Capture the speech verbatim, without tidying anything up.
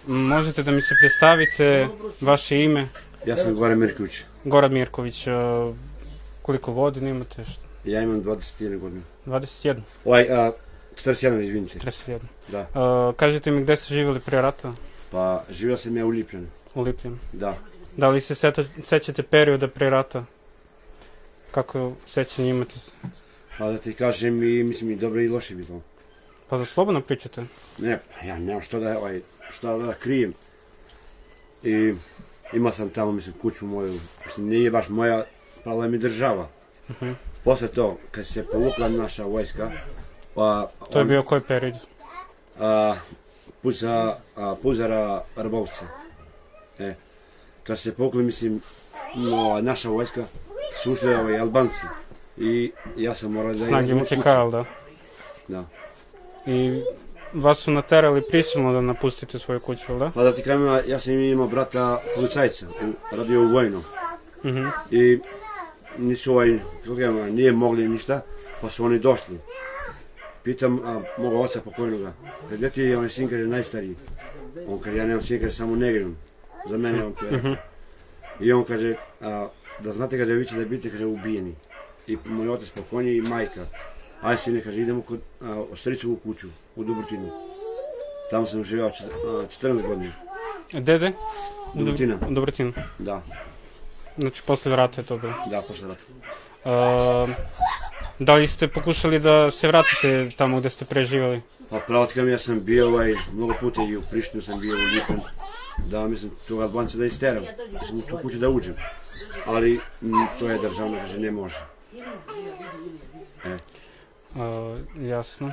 Možete da mi se predstavite vaše ime? Ja sam Goran Mirković. Goran Mirković, koliko godina imate? Ja imam dvadeset jednu godinu. dvadeset jednu? Ovaj, četrdeset jedna, izvinite. četrdeset jedna. Da. Kažete mi gde ste živjeli prije rata? Pa, živio sam ja u Lipljanu. U Lipljanu? Da. Da li se sećate perioda prije rata? Kako sećanje imate? Pa da ti kažem, i mislim i dobro i loše bilo. Pa da slobodno pričate? Ne, ja nemam što da, ovaj, što da krijem. I imao sam tamo, mislim, kuću moju, mislim, nije baš moja, pravila mi država. Uh-huh. Posle to, kad se povukla naša vojska, pa... To je bio koji period? A, put za, a, put za Rbovce. E, kad se povukli, mislim, no, naša vojska, su ušli ovaj, Albanci. I ja sam morao da... Snage U C K, ali da? Da. I vas su naterali prisilno da napustite svoju kuću, ali da? Pa da ti kažem, ja sam imao brata policajca, radio u vojnom. Uh-huh. I nisu ovaj, kako kažem, nije mogli ništa, pa su oni došli. Pitam a, moga oca pokojnoga, gdje ti je onaj sin, kaže, najstariji? On kaže, ja nemam sin, kaže, samo negrinom. Za mene on to je. Uh-huh. I on kaže, a, da znate, kaže, vi ćete da biti, kaže, ubijeni. I moj otac pokojni i majka. Aj sine, kaže, idemo kod Ostricovu kuću, u Dubrtinu. Tamo sam živio četrnaest godina. Dede? Dubrtina. U Dubrtinu? Da. Znači, posle rata je to bilo? Da, posle rata. Uh, da li ste pokušali da se vratite tamo gde ste preživali? Pa pravo ti kažem, ja sam bio ovaj, mnogo puta i u Prištinu sam bio, u Lipan. Da, mislim, tog Albanca da isteram. Sam u tu kuću da uđem. Ali m, to je državno, kaže, ne može. E. Uh, jasno.